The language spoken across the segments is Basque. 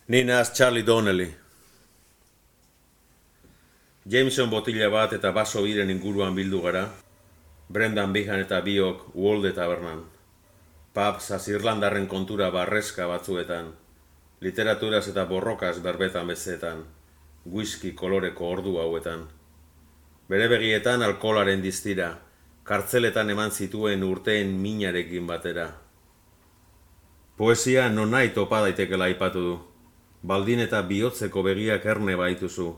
Ni naz Charlie Donnelly. Jameson botila bat eta baso biren inguruan bildu gara. Brendan Behan eta biok Uolde tabernan. Pubs Irlandarren kontura barreska batzuetan. Literaturaz eta borrokaz berbetan bezetan. Whisky koloreko ordu hauetan. Bere begietan alkoholaren diztira. Kartzeletan eman zituen urteen minarekin batera. Poesia non nahi topa daitekela aipatu du. Baldin eta bihotzeko begiak erne baituzu.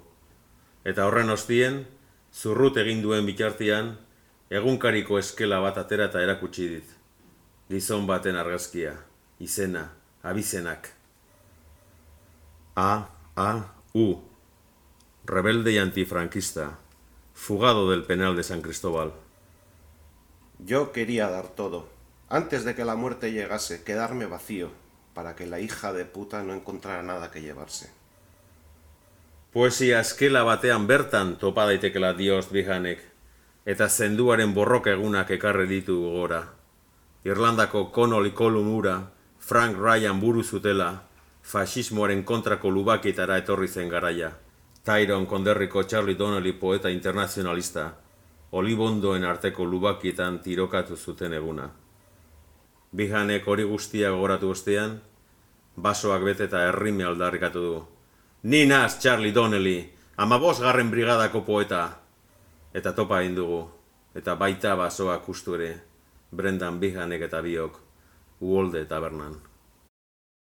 Eta horren ostien, zurrut egin duen bitartian, egunkariko eskela bat atera eta erakutsi dit. Gizon baten argazkia, izena, abizenak. A.U. Rebelde y antifranquista. Fugado del penal de San Cristóbal. Yo quería dar todo. Antes de que la muerte llegase, quedarme vacío, para que la hija de puta no encontrara nada que llevarse. Poesia eskela batean bertan topa daitekela diost Behanek, eta zenduaren borroka egunak ekarri ditu gora. Irlandako Connolly Colum ura, Frank Ryan buru zutela, fasismoaren kontrako lubakitara etorri zen garaia. Tyrone konderriko Charlie Donnelly poeta internazionalista, olibondoen arteko lubakietan tirokatu zuten eguna. Behanek hori guztia gogoratu ostean, basoak bete eta errime aldarrikatu du. Ni naz Charlie Donnelly, 15. brigadako poeta. Eta topa egin dugu, eta baita basoak ustu ere, Brendan Behanek eta biok, Uolde tabernan.